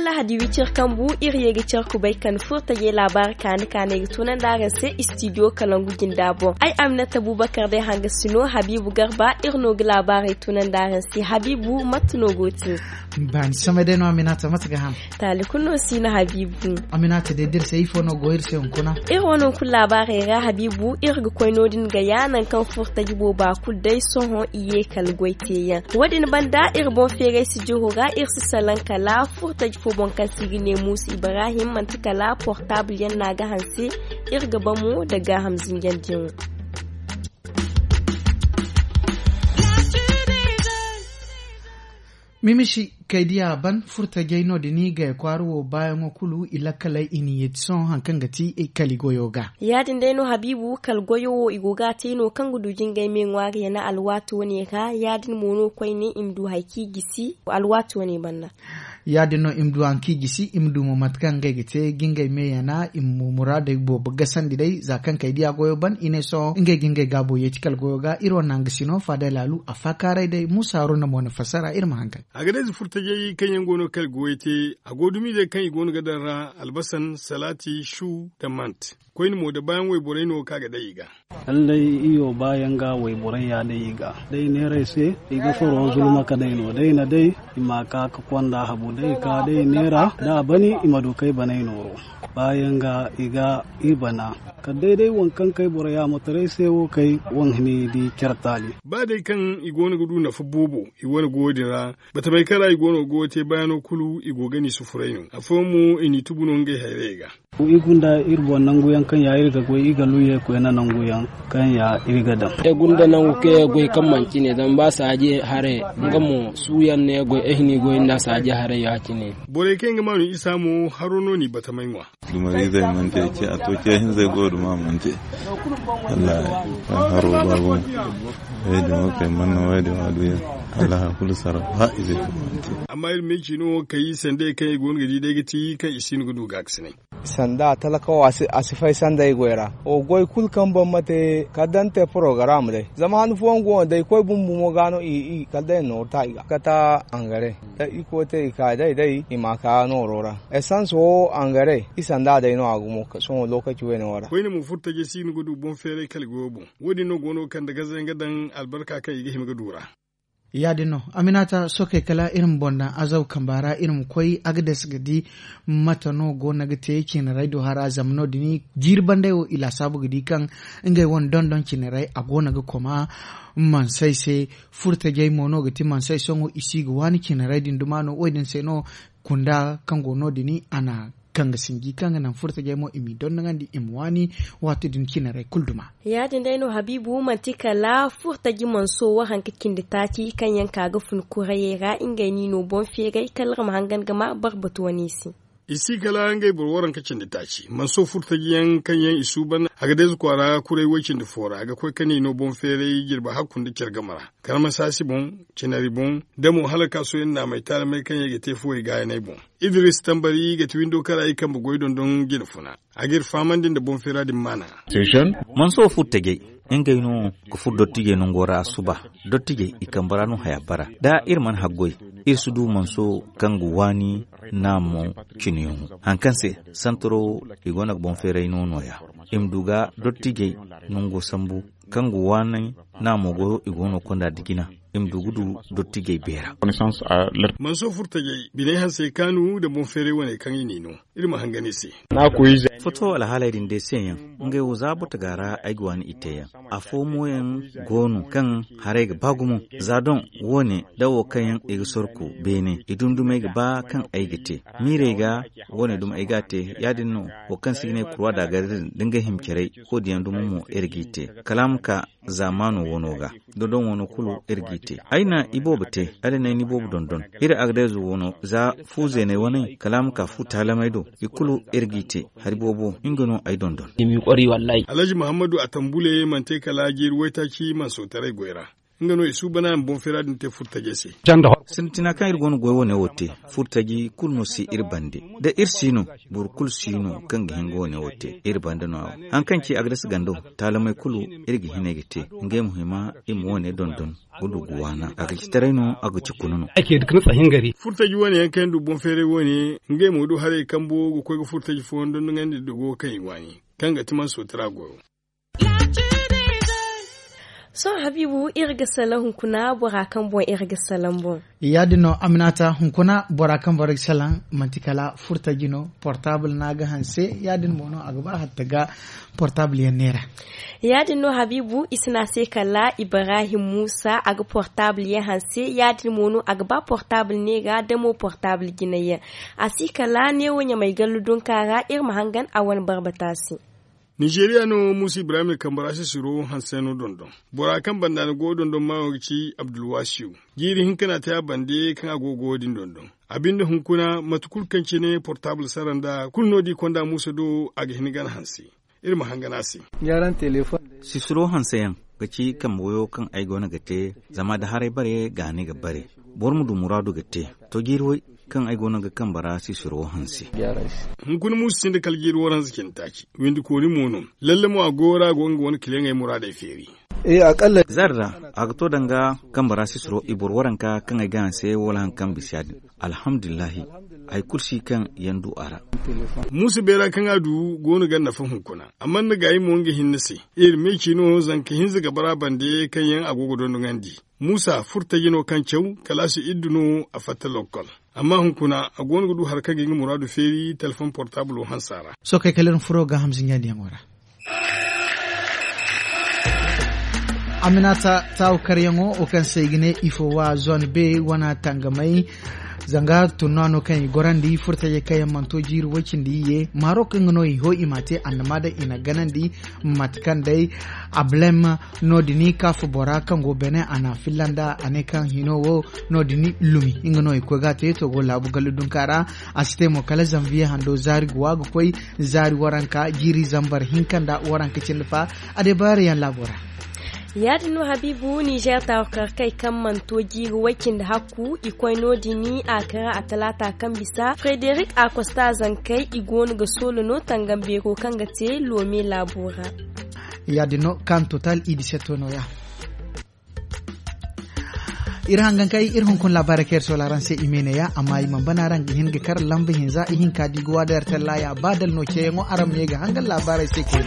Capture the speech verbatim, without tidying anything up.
Lahadi wicir kambu iri ye ga care kubay kan furtajey laabaari kaani kaanay ga tunandi araŋ se istidiyo kalangu jinda boŋ. Ay aminata bubakar day hanga si no habiibu garba iri no ga laabaarey tunandi araŋ se habiibu mate no go te? Baani samay day no aminata mate ga ham? Taali kulu no si no habiibu. Aminata day da iri se ifo no go iri se hunkuna? Iri wane hunkuna laabaarey ra habiibu iri ga koy no- din ga ya nangu kaŋ furtaji booba kulu day sohõ i ye kala goy teeyaŋ. Wo- din banda iri boŋ feeray si jihu ra iri si salaŋ kala furtaji fo boŋ kaŋ se i ga ne muusa ibrahim manti kala portaabul yaŋ no a ga hanse. Iri ga ba mo nda gaaham zinjandiyaŋo. Mimisi kay diya ban furtajey no- din i gay kwaara wo baayaŋo kulu i lakkaley i na yeeti sohõ hari kaŋ ga ti kali goyo ga. Ya- din day no habiibu kala goyo wo i go ga a te no kaŋ ga du jingay me ŋwaari yana alwaati wane ra ya- din mo no koyne i ma du hari kaŋ i gisi alwaati wane banda. Ya- din no i ma du hari kaŋ i gisi i ma du mo mate kaŋ ngey ga te ga ngey me yana i ma muraadey boobo gasandi day za kaŋ kay diya goyo ban i ne sohõ ngey ga ngey gaabo yeeti kala goyo ga iri wane nangu si no faada laalu a faakaaray day muusa haruna mo na fassara iri ma hangan. A ga day za furtajey kaŋ yaŋ go no kala goyo te a go dumizey kaŋ i go no ga daŋ ra albasan salaati shu nda mant. Koyne mo da baayaŋ wayborey no kaŋ a ga day i ga. Kala day iyo baayaŋ ga wayborey ya day i ga day neerey se i ga furo zulma ka day no day na day i ma ka ga konda habu day ka day neera da a bani i ma du kay baney nooro. Baayaŋ ga i ga i bana kala day day waŋ kaŋ kay boro yaamataray se wo kay waŋ hini di care taali. Ba day kaŋ i go no ga du nafa boobo i wane goyo din ra. Batamey kaŋ ra i go no ga goyo te bayaano kulu i go ga ni sufuray no afooyaŋ mo i n'i tubu no ngey hayrayey ga. I gunda iri boŋ nangu yaŋ kaŋ ya iri ga goy i ga luuyey koyne nangu yaŋ kaŋ ya iri ga daŋ. Ay gunda nangu kaŋ ya goy kaŋ manti ne zama ba saaji haray nga mo suuyaŋ no ya goy ay hini goy nda saaji haray ya- cine. Borey kaŋ yaŋ ga maanu isa mo haro no n'i batamey ŋwa. Dumariizey mana te ce a to ce hinzey go duma mana te. Wallahi haro baabu. Way din wo kay mana way din wo a duya. Wallahi kulu sara ba izey mana te. Amma iri ma ay ci no kay sandey kaŋ i go no ga di day ga ti kaŋ i si no ga du gaakasinay. Sanda talakawa a si fay sanda i goy ra wo goy kulu kaŋ boro ma te kala da ni te porogaram day zama han fooyaŋ go no day koy bumbumo ga no i kala day nooru ta i ga kata angare. Da i koy te i ka day day i ma ka nooro ra. Esans wo angare i sanda day no a gumo sohõ lokaci wayne wo ra. Koyne mo furo tajey si no ga du boŋ feeray kala goyo boŋ. Wo- din no go no ga kande gazayaŋ ga daŋ albarka kaŋ i ga hima ga du ra. Ya- din no, aminata sookey kala iri ma boŋ daŋ azaw kamba ra iri ma koy agades ga di mate no go no ga te ciinaray do hara zama no- din jiiri bandey wo i laasaabu ga di kaŋ ngey wane dondon ciinaray a go no ga koma. Mansey se furo tajey mo no ga ti mansey sohõ i si ga waani ciinaray din duma no wo- din se no. Kunda kaŋ go no- din a na kaŋ ga sinji kaŋ ga naŋ furo tajey mo i m'i dondonandi i ma waani. Waati din ciinaray kulu duma. Ya- din day no habiibu manti kala furo taji manso wo hari ka cindi taaci kaŋ yaŋ ka ga fun kurayey ra ngey no i no boŋ feeray kala iri ma hangan ga ma barbatu wane i se. I si kala ngey boro waranka cindi taaci manso furo taji yaŋ kaŋ yaŋ i suuban. Agades kwaara kuray way cindi fo ra ga koy ka ne i no boŋ feeray jirbi hakku nda care game ra. Karmasaasi boŋ, cinari boŋ, da mo hala kaasoyaŋ naamay taalamey kaŋ yaŋ i ga te fuwey gaayaney boŋ. Idris tambari ga ti windo kara i kambe goy dondon jine funa. A ga iri fahamandi nda boŋ feera din maana. Manso furo tajey ngey no ga furo dottijey nango ra suba. Dottijey i kambe ra no haya bara da iri mana haggoy iri si du manso kaŋ ga waani naamo cinayaŋo. Hari kaŋ se santaro i go no ga boŋ feeray no nooya. I ma du ga dottijey nango sambu kaŋ ga waani naamo goyo i go no konda da jina. I ma du ga du dottijey beera. Manso furo tajey biney hansey kaanu nda boŋ feeray wane kaŋ i n'i no. Iri ma hangan i se. Foto alhaaley din day se yaŋ. Ngey wo za botaga ra ay ga waani i te yaŋ. Afo mo yaŋ go no kaŋ haray ga ba gumo. Za doŋ wo- ne da wo kaŋ yaŋ i ga sorku beene i dundumey ga ba kaŋ ay ga te. Miirey ga wo- ne duma ay ga a te ya- din no. Wo kaŋ si ga ne kurwa da a ga din da nga hima caray wo- din yaŋ duma mo iri g'i te. Kala a ma ka zaamaano wano ga. Dondon wano kulu iri g'i te ay na iboobo te. Ay na ay na iboobo dondon iri agdeezo wano za fu zeeney waney kala a ma ka fu taalamey do. I kulu iri g'i te. Hari boobo nga no ay dondon. Alhaji muhammadu a tambule mana te kala jiiri waytaaci mana sootaray goy ra. Nga no i suubanaayaŋ boŋ feera din te furtajey se. Sintina kaŋ iri go no goy wane wo te, furtaji kulu no si iri bande. Da iri si no, boro kulu si no kaŋ ga hin ga wane wo te iri bande no a wo. Haŋ kaŋ ci a ga dasa gando, taalamey kulu iri ga hinay ga te. Ngey ma hima i ma wane dondon ga du ga waana. A ga ci taray no, a ga ci kuna no. Furtaji wane yaŋ kaŋ yaŋ du boŋ feeray wane, ngey mo du haray kambo ga koy ga furtaji fooyaŋ dondonandi dogo kaŋ i waani, kaŋ ga ti manso tira goyo. Sohõ habiibu, iri ga salaŋ hunkuna bora kaŋ boŋ iri ga salaŋ boŋ. Ya- din no, aminata, hunkuna bora kaŋ bora ga salaŋ, manti kala furtaji no, portaabul no a ga hanse. Ya- din mo no a ga ba hatta ga portaabul yaŋ neera. Ya- din no habiibu, i si ne a se kala ibrahim muusa, a ga portaabul yaŋ hanse. Ya- din mo no a ga ba portaabul neera da mo portaabul jinay yaŋ. A si kala neewo ɲamay gallu dunka ra, iri ma hangan a wane barbata se. Nizeeriya no muusa ibrahim kambara sisiro hanse no dondon. Bora kaŋ banda ni go dondon maawo ga ci abdulwasiyu. Jiiri hinka no a te a bande kaŋ a go ga wo- din dondon. A binde hunkuna mate kulu kaŋ cine portaabul sara nda kulu no da i konda muusa do, a ga hin gana hanse. Iri ma hangan a se. Sisiro hanse yaŋ ga ci kambe wayo kaŋ ay go no ga te. Zama da haray bare ga ni ga bare, boro ma du muraadu ga te. To jiiri way kaŋ ay go no ga kambe ra sisiro hanse. Hunkuna muusa sinda kala jiiri waranza cindi taaci. Windi koori mo no. Lalle mo a go ra go nga wane kiliyaŋey muraadey feeri. Zarra, a ga to danga kambe ra sisiro i boro waranka kaŋ ay ga hanse wala haŋ kaŋ bisa ya- din. Alhamdulillahi, hari kulu si kaŋ yaŋ du a ra. Muusa beera kaŋ a du go no ga nafa hunkuna. Amma ni ga ay mo nga hinne se. Iri me ci no zanka hinza ga bara bande kaŋ yaŋ a go ga dondonandi. Muusa furtaji no kaŋ caw kala a si iddu no a fatta lokkol. Amma hunkuna a go no ga du hari kaŋ ga nga muraadu feeri telefoŋ portaabulo hansa ra. Sohõ kay kala iri ma furo ga hamza ɲaadiyaŋo ra. Aminata taawu karyaŋo wo kaŋ se i ga ne ifo wa zone be wana tangamay. Zanga tunna no kaŋ i gorandi furtajey kaŋ yaŋ mana to jiiri way cindi iyye maaro kaŋ ga no i ho i ma te annama day i na ganandi. Mate kaŋ day ablem no- din kaafu bora kaŋ go bene a na a filla nda a ne kaŋ hino wo no- din lumi nga no i koy ga a te to go laabu gallu dunka ra. A si te mo kala zanviye hando zaari ga wa ga koy zaari waranka jiiri zambar hinka nda waranka cindi fa. A de baari yaŋ laabo ra. Ya- din no habiibu nizer taawakar kay kaŋ mana to jiiri way cindi hakku i koy no- din a kara a talaata kaŋ bisa frederik a kosta zankey i go no ga soolo no tangam beero kaŋ ga te loome laabo ra. Ya- din no kaŋ total i disetto no- ya. Iri hangan kay iri hunkuna laabaarey kaŋ iri soola araŋ se i me ne- ya amma i mana bana araŋ ga hin ga kar lamba hinza ihinka da i ga waada yar tallaya ba dala no ceeyaŋo araŋ ma ye ga hangan laabaarey se koyne.